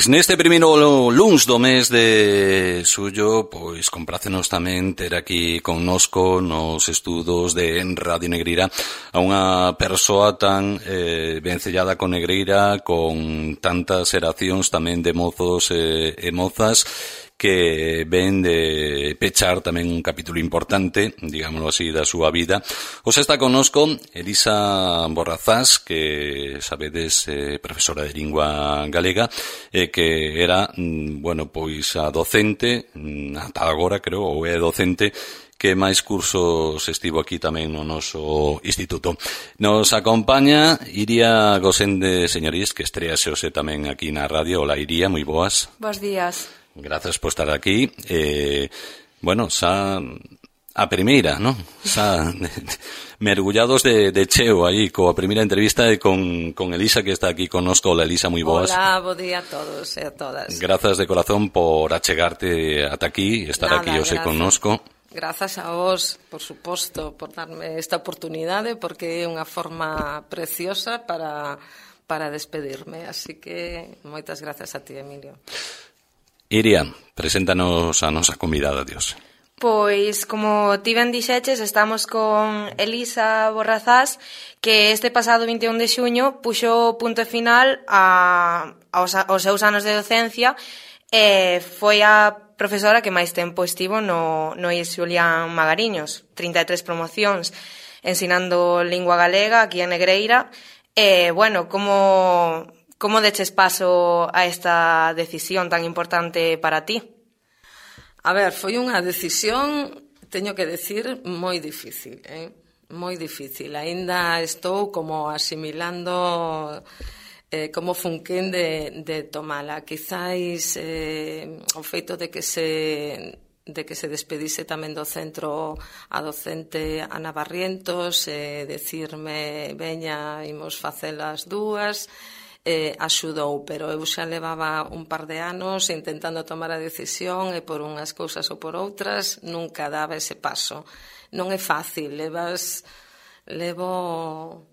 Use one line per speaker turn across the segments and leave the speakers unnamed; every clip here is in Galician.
Pois neste primeiro luns do mes de xullo, pois comprácenos tamén ter aquí connosco nos estudos de Radio Negreira a unha persoa tan vencellada con Negreira, con tantas xeracións tamén de mozos e mozas, que ven de pechar tamén un capítulo importante, digámoslo así, da súa vida. Hoxe está connosco Elisa Borrazás, que sabedes profesora de lingua galega, que era, bueno, pois a docente, ata agora creo, ou é docente, que máis cursos estivo aquí tamén no noso instituto. Nos acompaña Iria Gosende Señorís, que estrease hoxe tamén aquí na radio. Hola Iria, moi boas.
Bos días.
Grazas por estar aquí. Bueno, xa a primeira, non? Xa mergullados de cheo aí coa primeira entrevista e con Elisa, que está aquí connosco. Hola Elisa, moi boas.
Hola, bo día a todos e a todas.
Grazas de corazón por achegarte ata aquí, estar aquí hoxe connosco.
Grazas a vos, por suposto, por darme esta oportunidade, porque é unha forma preciosa para despedirme. Así que moitas grazas a ti, Emilio.
Iria, preséntanos a nosa convidada de hoxe.
Pois, como ti ben dixeches, estamos con Elisa Borrazás, que este pasado 21 de xuño puxo punto final aos seus anos de docencia e foi a profesora que máis tempo estivo no IES Xulián Magariños, 33 promocións ensinando lingua galega aquí en Negreira. E, bueno, como deches paso a esta decisión tan importante para ti?
A ver, foi unha decisión, teño que decir, moi difícil, moi difícil. Aínda estou como asimilando como funquén de tomala. Quizáis o feito de que se despedise tamén do centro a docente Ana Barrientos, decirme, veña, imos facelas dúas, axudou, pero eu xa levaba un par de anos intentando tomar a decisión e por unhas cousas ou por outras nunca daba ese paso. Non é fácil, levo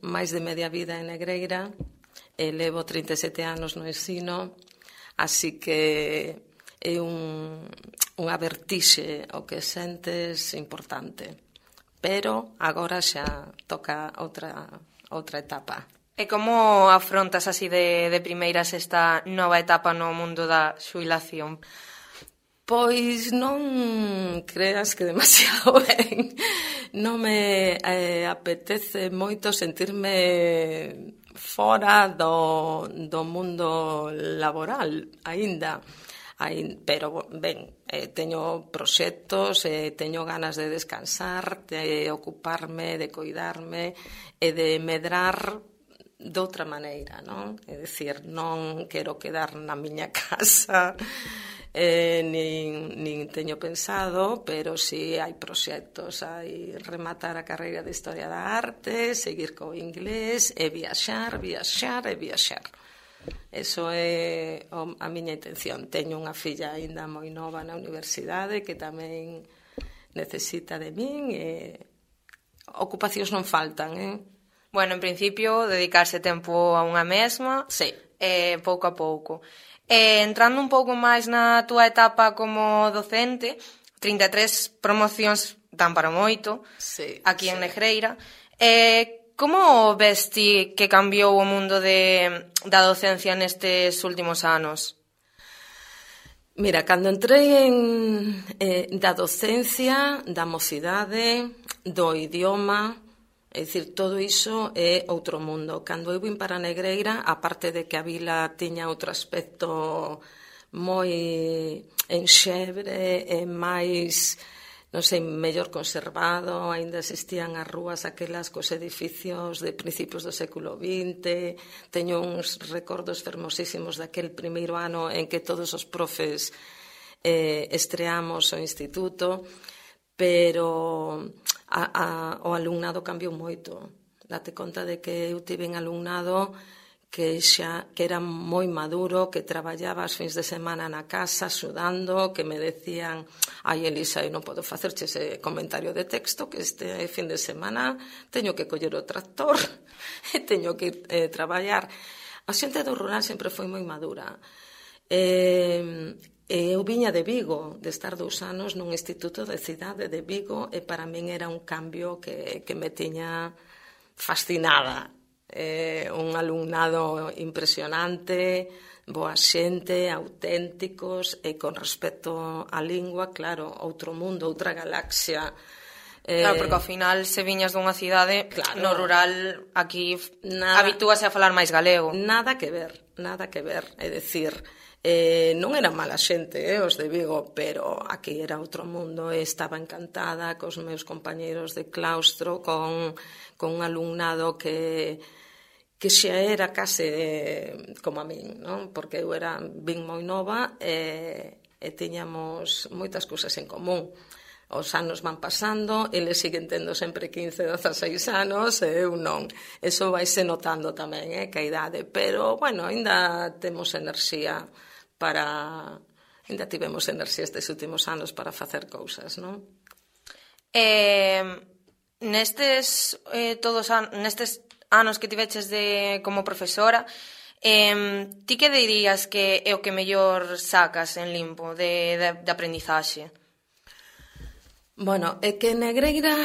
máis de media vida en Negreira e levo 37 anos no ensino, así que é unha vertixe o que sentes importante, pero agora xa toca outra etapa.
E como afrontas así de primeiras esta nova etapa no mundo da xubilación?
Pois non creas que demasiado ben. Non me apetece moito sentirme fora do mundo laboral aínda. Pero, ben, teño proxectos, teño ganas de descansar, de ocuparme, de coidarme e de medrar doutra maneira, non? É dicir, non quero quedar na miña casa, nin teño pensado, pero si hai proxectos, hai rematar a carreira de Historia da Arte, seguir co inglés e viaxar. Eso é a miña intención. Teño unha filla aínda moi nova na universidade que tamén necesita de min e ocupacións non faltan,
Bueno, en principio, dedicarse tempo a unha mesma,
sí,
pouco a pouco. Entrando un pouco máis na túa etapa como docente, 33 promocións dan para moito,
sí,
aquí en Negreira. Como ves ti que cambiou o mundo da docencia nestes últimos anos?
Mira, cando entrei da docencia, da mocidade, do idioma, é dicir, todo iso é outro mundo. Cando eu vim para Negreira, aparte de que a vila tiña outro aspecto moi enxebre e máis, non sei, mellor conservado, aínda existían as rúas aquelas cos edificios de principios do século XX, teño uns recordos fermosísimos daquel primeiro ano en que todos os profes estreamos o instituto, pero o alumnado cambiou moito. Date conta de que eu tive un alumnado que era moi maduro, que traballaba as fins de semana na casa sudando, que me decían: ai Elisa, eu non podo facerche ese comentario de texto, que este fin de semana teño que coller o tractor e teño que ir traballar. A xente do rural sempre foi moi madura. Eu viña de Vigo, de estar 2 anos nun instituto de cidade de Vigo, e para min era un cambio que me tiña fascinada. Un alumnado impresionante, boa xente, auténticos, e con respecto á lingua, claro, outro mundo, outra galaxia.
Claro, porque ao final se viñas dunha cidade, claro, no rural aquí habitúase a falar máis galego.
Nada que ver, é dicir, non eran mala xente, os de Vigo, pero aquí era outro mundo, e estaba encantada cos meus compañeiros de claustro, con un alumnado que xa era case como a min, non? Porque eu vin moi nova e tiñamos moitas cousas en común. Os anos van pasando, eles siguen tendo sempre 15, 16 anos, e eu non. Eso vaise notando tamén, que a idade. Pero, bueno, ainda temos enerxía para... Ainda tivemos enerxía estes últimos anos para facer cousas, non?
Nestes anos que tiveches como profesora, ti que dirías que é o que mellor sacas en Limpo de aprendizaxe?
Bueno, é que en Negreira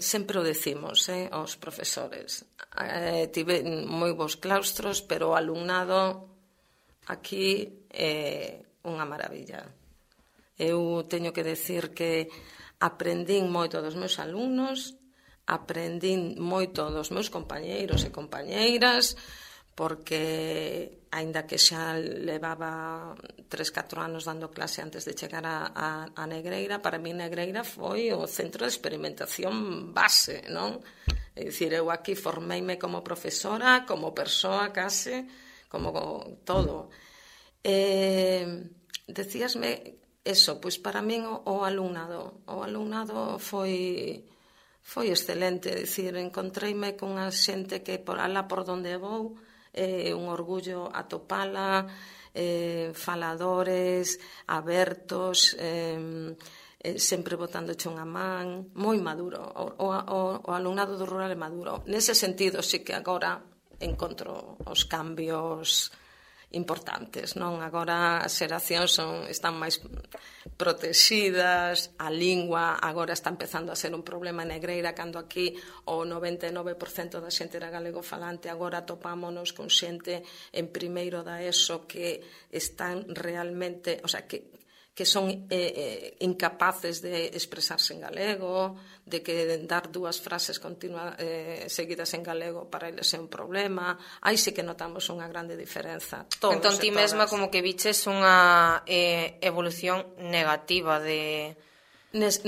sempre o decimos, aos profesores. Tive moi bons claustros, pero o alumnado aquí é unha maravilla. Eu teño que decir que aprendín moito dos meus alumnos, aprendín moito dos meus compañeiros e compañeiras, porque, aínda que xa levaba 3-4 anos dando clase antes de chegar a Negreira, para mí Negreira foi o centro de experimentación base, non? É dicir, eu aquí formeime como profesora, como persoa case, como todo. Decíasme eso, pois para min o alumnado foi excelente, é dicir, encontreime cunha xente que por alá por donde vou, un orgullo atopala, faladores, abertos, sempre botándoche unha man, moi maduro. O alumnado do rural é maduro. Nese sentido, sí que agora encontro os cambios importantes, non? Agora as xeracións están máis protegidas, a lingua agora está empezando a ser un problema en Negreira, cando aquí o 99% da xente era galego falante, agora topámonos con xente en primeiro da ESO que están realmente, o sea, que son incapaces de expresarse en galego, de que dar 2 frases seguidas en galego para eles é un problema. Aí sí que notamos unha grande diferenza.
Entón ti mesma como que viches unha evolución negativa de...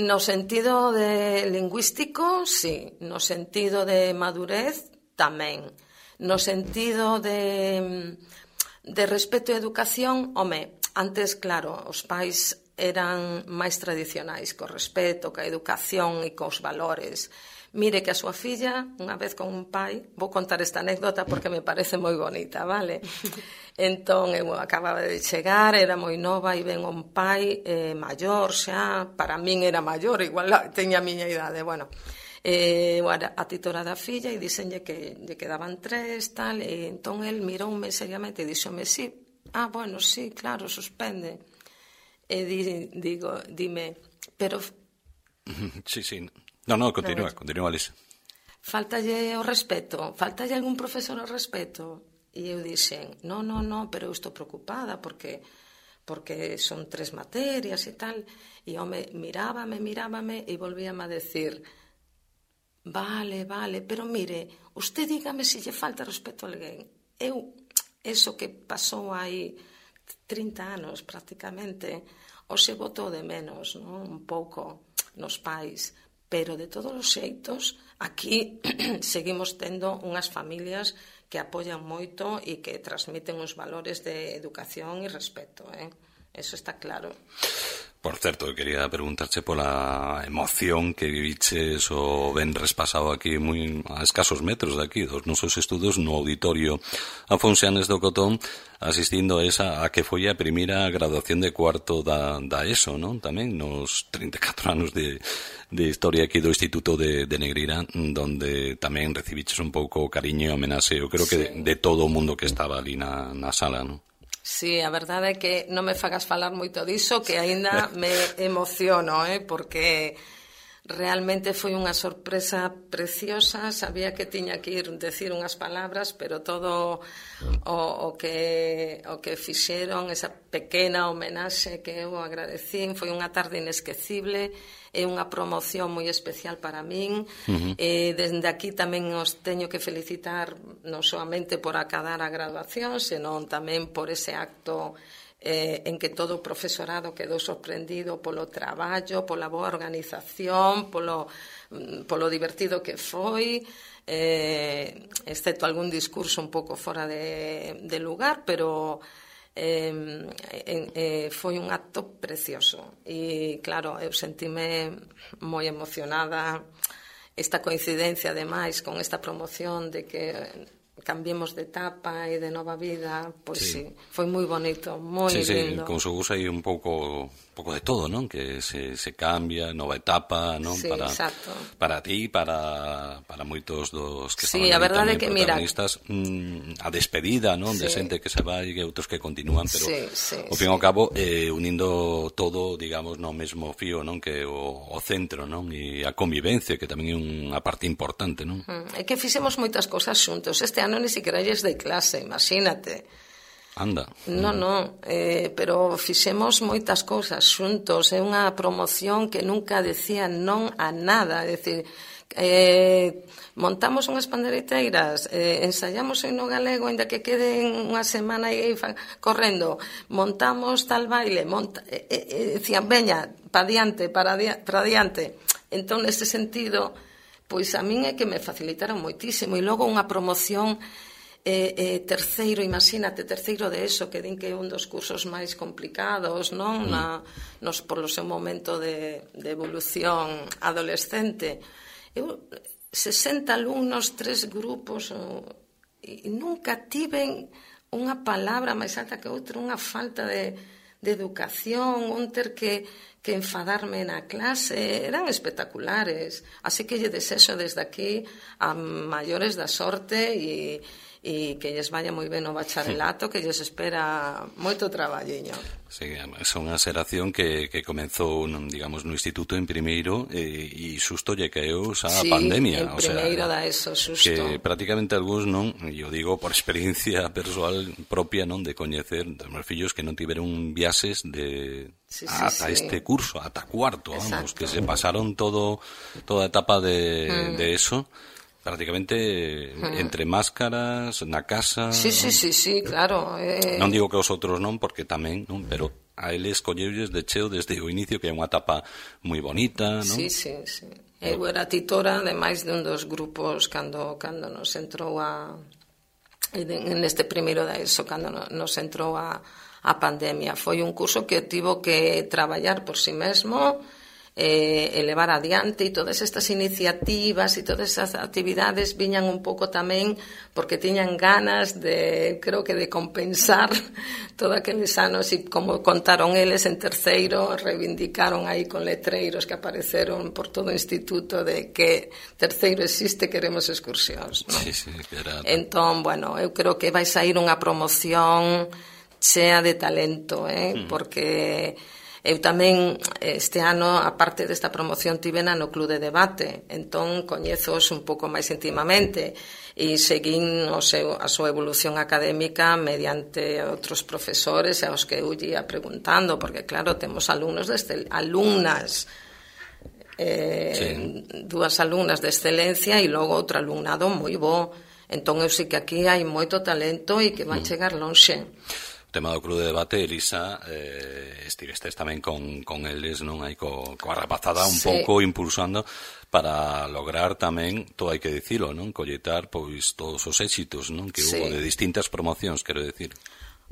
No sentido de lingüístico, sí. No sentido de madurez, tamén. No sentido de respeto e educación, home, antes, claro, os pais eran máis tradicionais, co respeto, ca educación e cos valores. Mire que a súa filla, unha vez con un pai, vou contar esta anécdota porque me parece moi bonita, vale? Entón, eu acababa de chegar, era moi nova, e ven un pai maior xa, para min era maior, igual teña a miña idade, bueno. A titora da filla e dicenlle que lle quedaban 3, tal, e entón el miroume seriamente e dixome, sí, bueno, sí, claro, suspende. E dime, pero...
Sí. No, continúa, Alicia.
Faltalle o respeto, faltalle algún profesor o respeto. E eu dixen, no, pero eu estou preocupada porque son 3 materias e tal. E home, mirábame e volvíame a decir, vale, pero mire, usted dígame se lle falta respeto a alguén. Eso que pasou aí 30 anos prácticamente, hoxe botou de menos, non? Un pouco nos pais, pero de todos os xeitos aquí seguimos tendo unhas familias que apoian moito e que transmiten os valores de educación e respeto, eso está claro.
Por certo, quería preguntarche pola emoción que viviches o venres pasado aquí moi a escasos metros de aquí, dos nosos estudos no auditorio Afonsianes do Cotón, asistindo a que foi a primeira graduación de cuarto da ESO, non? Tamén nos 34 anos de historia aquí do Instituto de Negreira, donde tamén recibiches un pouco cariño e homenaxe, eu creo que de todo o mundo que estaba ali na sala, non?
Sí, a verdade é que non me fagas falar moito diso, que aínda me emociono, porque realmente foi unha sorpresa preciosa. Sabía que tiña que ir decir unhas palabras, pero todo o que fixeron, esa pequena homenaxe que eu agradecín, foi unha tarde inesquecible, é unha promoción moi especial para min. Desde aquí tamén os teño que felicitar non solamente por acadar a graduación, senón tamén por ese acto en que todo o profesorado quedou sorprendido polo traballo, pola boa organización, polo divertido que foi, excepto algún discurso un pouco fora de lugar, pero foi un acto precioso. E claro, eu sentime moi emocionada. Esta coincidencia, ademais, con esta promoción de que cambiemos de etapa e de nova vida, pois sí, foi moi bonito, moi lindo.
Como se usa aí un pouco de todo, non? Que se cambia, nova etapa, non?
Sí, exacto.
Para ti, para moitos dos que
estaban a verdade que,
protagonistas, a despedida, non? De xente que se vai e outros que continúan, pero ao fin e ao cabo unindo todo, digamos, no mesmo fío, non? Que o centro, non? E a convivencia, que tamén é unha parte importante, non?
É que fixemos moitas cosas xuntos. Este ano ni siquiera lles dei clase, imagínate.
Anda.
Non, pero fixemos moitas cousas xuntos. É unha promoción que nunca decía non a nada. É dicir, montamos unhas pandeireteiras, ensaiamos o himno galego, ainda que queden unha semana e correndo, montamos tal baile, decían, veña, para diante. Entón, neste sentido, pois a min é que me facilitaron moitísimo. E logo unha promoción terceiro, imagínate, terceiro de ESO, que din que é un dos cursos máis complicados, non? Polo seu momento de evolución adolescente. 60 alumnos, 3 grupos, e nunca tiven unha palabra máis alta que outra, unha falta de educación, un ter que enfadarme na clase, eran espectaculares. Así que lle desexo desde aquí a maiores da sorte e que lles vaya moi ben o bacharelato, que lles espera moito traballiño.
Sí, é unha xeración que comenzou, digamos, no instituto en primeiro e xusto lle caeu xa a pandemia.
En primeiro da ESO, xusto.
Que prácticamente algúns non, e eu digo por experiencia persoal propia, non, de coñecer dos meus fillos que non tiveron viaxes ata este curso, ata cuarto, vamos, que se pasaron toda a etapa de ESO prácticamente entre máscaras, na casa.
Sí, claro.
Non digo que os outros non, porque tamén, non, pero a eles colleulles de cheo desde o inicio, que é unha etapa moi bonita, non?
Sí. Eu era titora de máis de un dos grupos cando nos entrou neste primeiro da ESO, cando nos entrou a pandemia. Foi un curso que tivo que traballar por si mesmo, elevar adiante, e todas estas iniciativas e todas esas actividades viñan un pouco tamén porque tiñan ganas creo que de compensar todos aqueles anos, e como contaron eles en terceiro, reivindicaron aí con letreiros que apareceron por todo o instituto de que terceiro existe, queremos excursións, non?
Sí, era...
Entón, bueno, eu creo que vai sair unha promoción chea de talento, porque eu tamén este ano, aparte desta promoción, tivena no Club de Debate, entón coñezos un pouco máis intimamente e seguín a súa evolución académica mediante outros profesores aos que eu ia preguntando, porque claro, temos alumnas dúas alumnas de excelencia e logo outro alumnado moi bo. Entón eu sei que aquí hai moito talento e que van chegar lonxe.
O tema do Club de Debate, Elisa, estivestes tamén con eles, non? Aí coa rapazada un pouco impulsando para lograr tamén, todo hai que dicilo, non? Colletar pois todos os éxitos, non? Que hubo de distintas promocións, quero decir.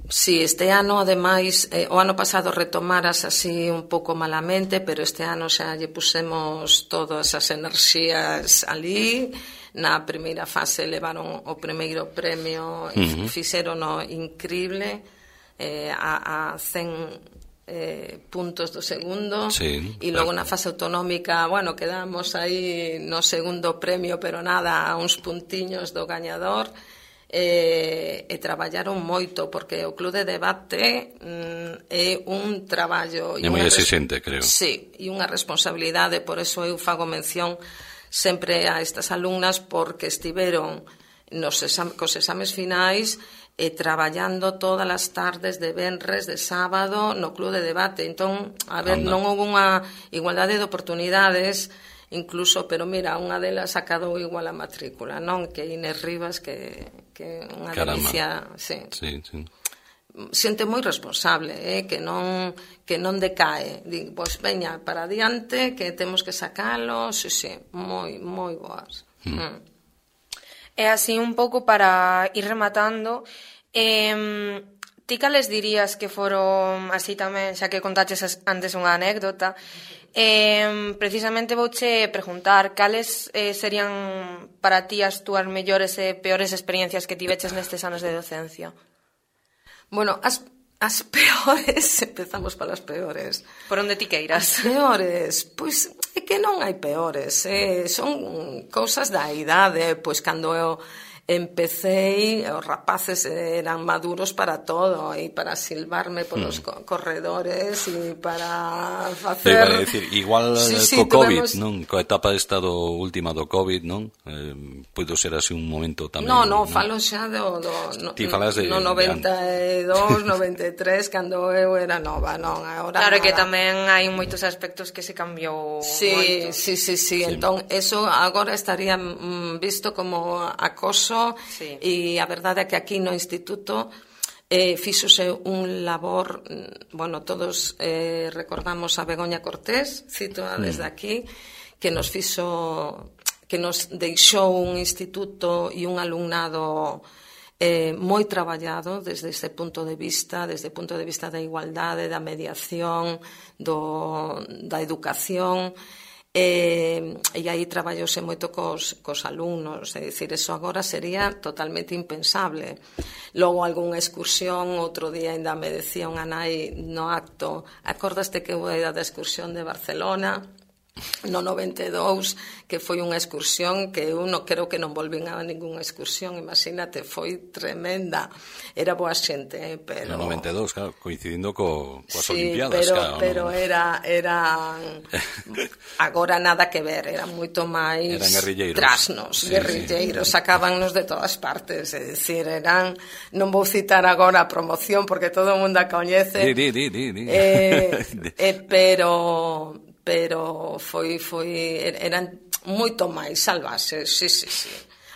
Sí, este ano, ademais, o ano pasado retomaras así un pouco malamente, pero este ano xa lle pusemos todas as enerxías ali. Na primeira fase levaron o primeiro premio e fixerono increíble, a 100 puntos do segundo, e logo na fase autonómica, bueno, quedamos aí no segundo premio, pero nada, a uns puntiños do gañador. e traballaron moito, porque o Club de Debate é un traballo...
É moi exigente, creo.
Sí, e unha responsabilidade, por eso eu fago mención sempre a estas alumnas, porque estiveron cos exames finais traballando todas as tardes de venres, de sábado, no Club de Debate. Entón, a ver, non houve unha igualdade de oportunidades, incluso, pero mira, unha delas acadou igual a matrícula, non? Que Inés Rivas, que unha delicia, sí. Xente moi responsable, que non decae. Digo, pois veña, para adiante, que temos que sacalo, sí, moi boas.
E así un pouco para ir rematando, ti cales dirías que foron, así tamén, xa que contaches antes unha anécdota, precisamente vouche preguntar cales serían para ti as túas mellores e peores experiencias que tiveches nestes anos de docencia?
Bueno, as peores, empezamos polas peores.
Por onde ti queiras.
As peores, pois é que non hai peores, son cousas da idade, pois cando eu empecé, os rapaces eran maduros para todo, e para silbarme polos corredores e para facer...
Iba a decir, igual co COVID, non? Coa etapa esta última do COVID, non? Puido ser así un momento tamén...
Non, falo xa do no 92, 93, cando eu era nova, non? Ahora
claro,
nada.
Que tamén hai moitos aspectos que se cambiou moito.
Sí. Entón, eso agora estaría visto como acoso.
Sí.
E a verdade é que aquí no instituto fíxose un labor, bueno, todos recordamos a Begoña Cortés, cito desde aquí, que nos deixou un instituto e un alumnado moi traballado desde ese punto de vista, da igualdade, da mediación, da educación. E aí traballouse moito cos alumnos, é dicir, eso agora sería totalmente impensable. Logo, algunha excursión, outro día ainda me decía unha nai no acto, acordaste que eu era da excursión de Barcelona no 92, que foi unha excursión que eu non creo que non volvín a ningunha excursión, imagínate, foi tremenda, era boa xente, pero...
No 92, claro, coincidindo coas Olimpiadas,
claro. Pero era agora nada que ver, era moito máis trasnos, guerrilleiros, sacábannos de todas partes, é dicir, eran, non vou citar agora a promoción porque todo o mundo a coñece, pero eran moito máis salvaxes, sí.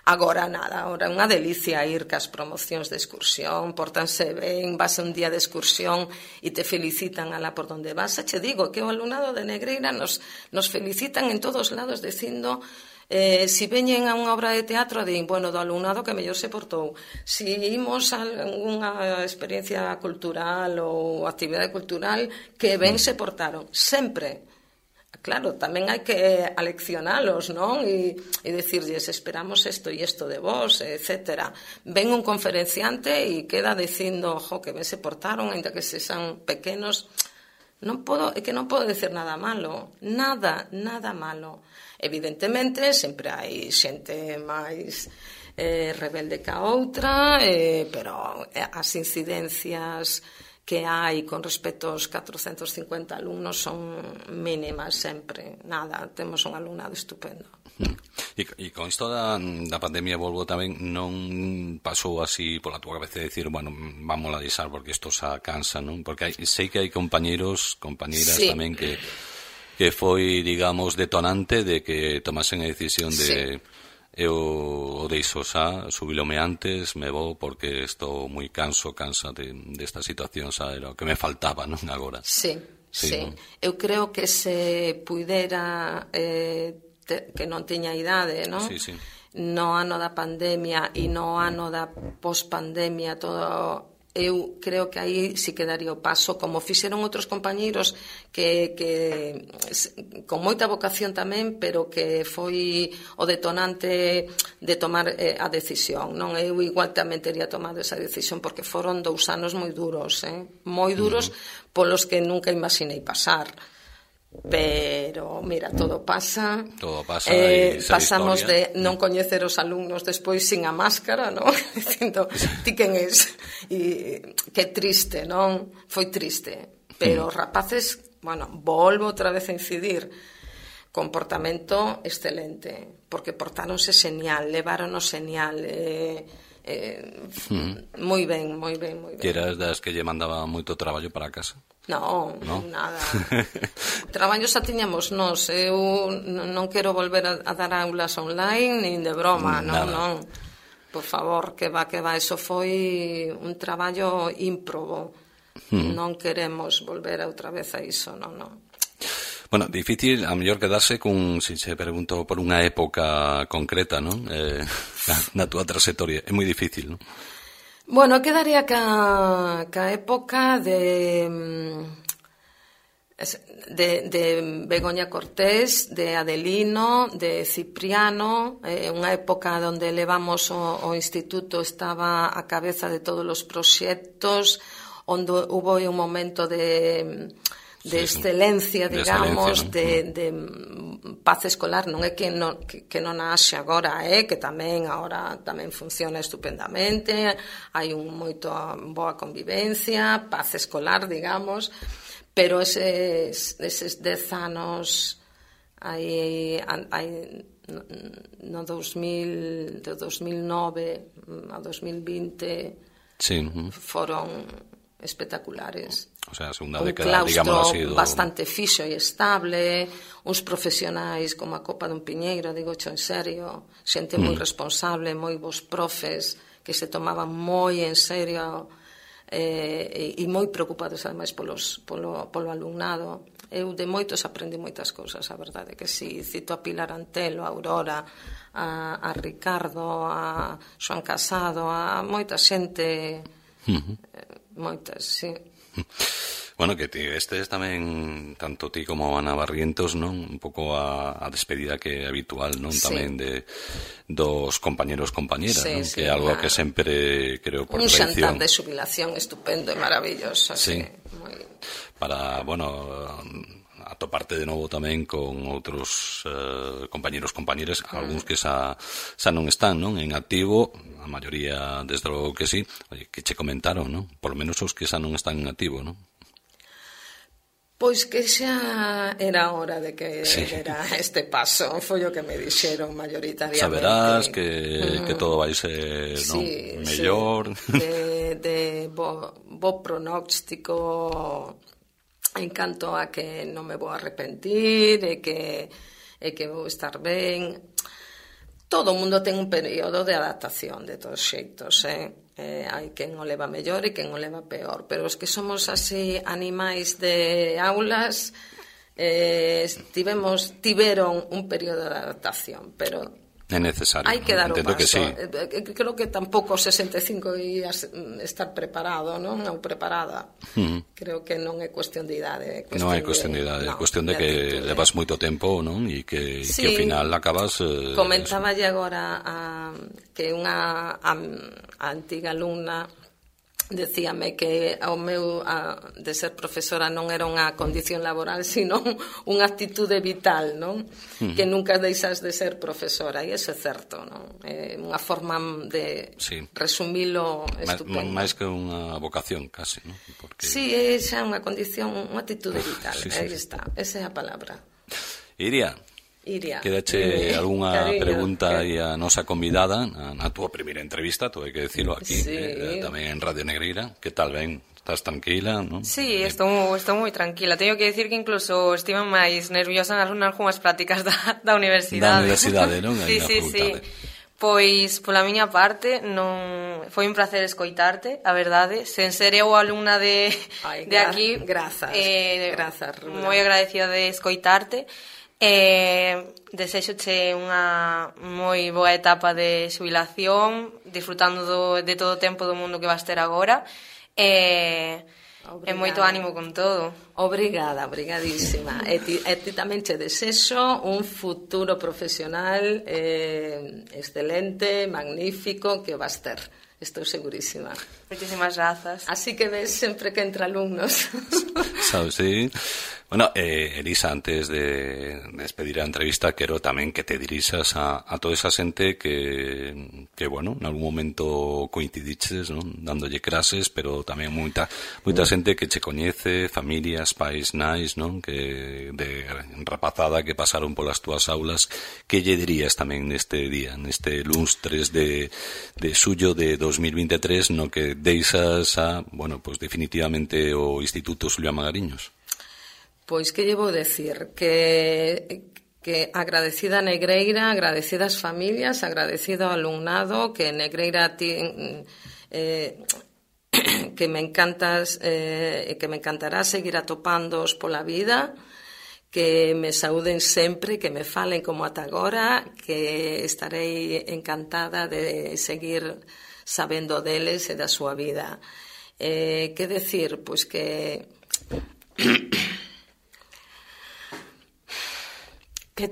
Agora nada, agora é unha delicia ir cas promocións de excursión, pórtanse ben, vas a un día de excursión e te felicitan alá por donde vas. Che digo que o alumnado de Negreira nos felicitan en todos lados dicindo si veñen a unha obra de teatro din, bueno, do alumnado que mellor se portou, si imos a unha experiencia cultural ou actividade cultural que ben se portaron, sempre. Claro, tamén hai que aleccionalos, non? E dicirlles, esperamos isto e isto de vos, etcétera. Ven un conferenciante e queda dicindo, que ben se portaron, ainda que sexan pequenos. É que non podo decir nada malo. Nada malo. Evidentemente, sempre hai xente máis rebelde que a outra, pero as incidencias que hai con respecto aos 450 alumnos son mínimas sempre, nada, temos un alumnado estupendo.
E con isto da pandemia volvo tamén, non pasou así pola túa cabeza de decir, bueno, vamos a deixar porque isto xa cansa, non? Porque sei que hai compañeiras tamén que foi, digamos, detonante de que tomasen a decisión de eu deixo xa, subilome antes, me vou porque estou moi cansa desta situación, xa era o que me faltaba, non, agora.
Sí. Non? Eu creo que se puidera que non teña idade, non?
Sí.
No ano da pandemia e no ano da pospandemia, todo... Eu creo que aí si quedaría o paso, como fixeron outros compañeiros que con moita vocación tamén, pero que foi o detonante de tomar a decisión, non? Eu igual tamén teria tomado esa decisión porque foron 2 anos moi duros, moi duros, polos que nunca imaginei pasar. Pero, mira, todo pasa
e
pasamos de non coñecer os alumnos despois sin a máscara, non? Dicindo, ti quen es? E que triste, non? Foi triste, pero os rapaces, bueno, volvo outra vez a incidir, comportamento excelente, porque portáronse señal, leváronos señal, moi ben, moi ben, moi ben.
Que eras das que lle mandaba moito traballo para casa?
No, nada. Traballo xa tiñamos nós. Eu non quero volver a dar aulas online nin de broma, non. Por favor, que va, eso foi un traballo ímprobo. Non queremos volver outra vez a iso, non.
Bueno, difícil a mellor quedarse con, se pregunto por unha época concreta, non? Na túa trayectoria, é moi difícil, non?
Bueno, quedaría ca época de Begoña Cortés, de Adelino, de Cipriano, unha época onde levamos o instituto, estaba a cabeza de todos os proxectos, onde hubo un momento de excelencia, digamos, de paz escolar. Non é que non haxe agora, que tamén agora tamén funciona estupendamente, hai moito boa convivencia, paz escolar, digamos, pero eses 10 anos no 2000, de 2009 a 2020 foron espectaculares.
O sea, a segunda década, digamos así,
bastante fixo e estable, uns profesionais como a copa dun piñeiro, digo en serio, xente moi responsable, moi bons profes que se tomaban moi en serio e moi preocupados ademais polo alumnado. Eu de moitos aprendi moitas cousas, a verdade que si, cito a Pilar Antelo, a Aurora, a Ricardo, a Xoan Casado, a moita xente, moitas, sí.
Bueno, que estes tamén, tanto ti como Ana Barrientos, non? Un pouco a despedida que é habitual, non?
Sí.
Tamén dos compañeros, compañeras,
sí,
non?
Sí,
que é algo que sempre, creo, por
un
tradición.
xantar de xubilación estupendo e maravilloso,
sí.
Moi...
Para, bueno, atoparte de novo tamén con outros compañeros, compañeras, algúns que xa non están, non? En activo, a maioría, desde logo que sí, oye, que che comentaron, non? Por lo menos os que xa non están en activo, non?
Pois que xa era hora de que era este paso, foi o que me dixeron maioritariamente.
Saberás que todo vai ser, non? Mellor.
De bo pronóstico en canto a que non me vou arrepentir e que vou estar ben. Todo o mundo ten un período de adaptación de todos xeitos, hai quen o leva mellor e quen o leva peor, pero os que somos así animais de aulas tiveron un período de adaptación, pero
é necesario.
Hai que dar o paso.
Que sí.
Creo que tampouco 65 ías estar preparado, non? Ou preparada. Creo que non é cuestión de idade.
Non é cuestión de idade, é cuestión de que levas moito tempo, non? E que ao final acabas...
Comentáballe agora que unha antiga alumna decíame que ao meu de ser profesora non era unha condición laboral, sino unha actitude vital, non? Que nunca deixas de ser profesora, e iso é certo, non? É unha forma de resumilo estupendo.
máis que unha vocación, casi, non? Porque...
Sí, é xa unha condición, unha actitude vital, aí está, esa é a palabra.
Iria, quedache algunha pregunta e a nosa convidada na túa primeira entrevista, tú hai que decirlo aquí, tamén en Radio Negreira. Que tal, ben? Estás tranquila, non?
Sí, estou moi tranquila. Teño que decir que incluso estive máis nerviosa nas algunhas prácticas da universidade.
Da universidade, non?
Sí. Pois, pola miña parte, non foi un placer escoitarte, a verdade. Sen ser eu alumna de aquí,
grazas,
moi agradecida de escoitarte. Desexoche unha moi boa etapa de xubilación, disfrutando de todo o tempo do mundo que vas ter agora, e moito ánimo con todo.
Obrigada, obrigadísima. E ti tamén che desexo un futuro profesional excelente, magnífico, que vas ter. Estou segurísima.
Moitísimas grazas.
Así que ves sempre que entra alumnos.
sabes, sí. Bueno, Elisa, antes de despedir a entrevista, quero tamén que te dirixas a toda esa xente que bueno, en algún momento coincidiches, non? Dándolle clases, pero tamén moita xente que che coñece, familias, pais, nais, non? Que de rapazada que pasaron polas túas aulas, que lle dirías tamén neste día, neste luns 3 de xullo de 2023, no que deixas a, bueno, pues definitivamente o Instituto Xulián Magariños?
Pois que lle vou decir? Que agradecida a Negreira, agradecida as familias, agradecido ao alumnado, que Negreira que me encantas e que me encantará seguir atopándoos pola vida, que me saúden sempre, que me falen como ata agora, que estarei encantada de seguir sabendo deles e da súa vida. Que decir? Pois que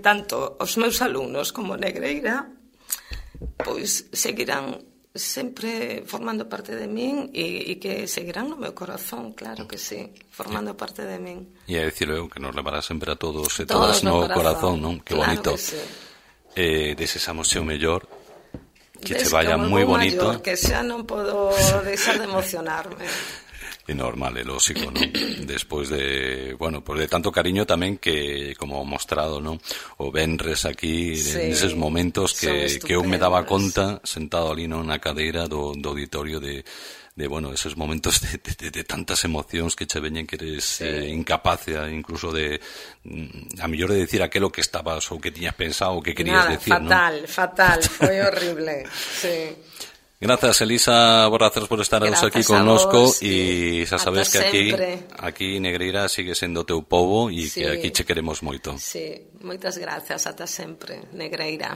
tanto os meus alumnos como Negreira pois seguirán sempre formando parte de min e que seguirán no meu corazón, claro que sí, formando parte de min.
E a dicirlo eu, que nos levará sempre a todos e todas no corazón, non? Que bonito.
Claro que sí.
Desexamos o mellor, que che vaya moi bonito.
Maior, que xa non podo deixar de emocionarme.
É normal, é lógico, non? Despois de, bueno, pues de tanto cariño tamén que, como mostrado, non? O venres aquí, sí, neses momentos que eu me daba conta, sentado ali, non, na cadeira do auditorio de bueno, esos momentos de tantas emocións que che veñen que eres incapaz incluso de a mellor de decir aquilo que estabas ou que tiñas pensado ou que querías decir,
fatal, foi horrible, sí.
Grazas, Elisa Borrazás, por estar aquí connosco e xa sabes que aquí Negreira sigue sendo teu pobo e que aquí che queremos moito.
Sí, moitas grazas, ata sempre, Negreira.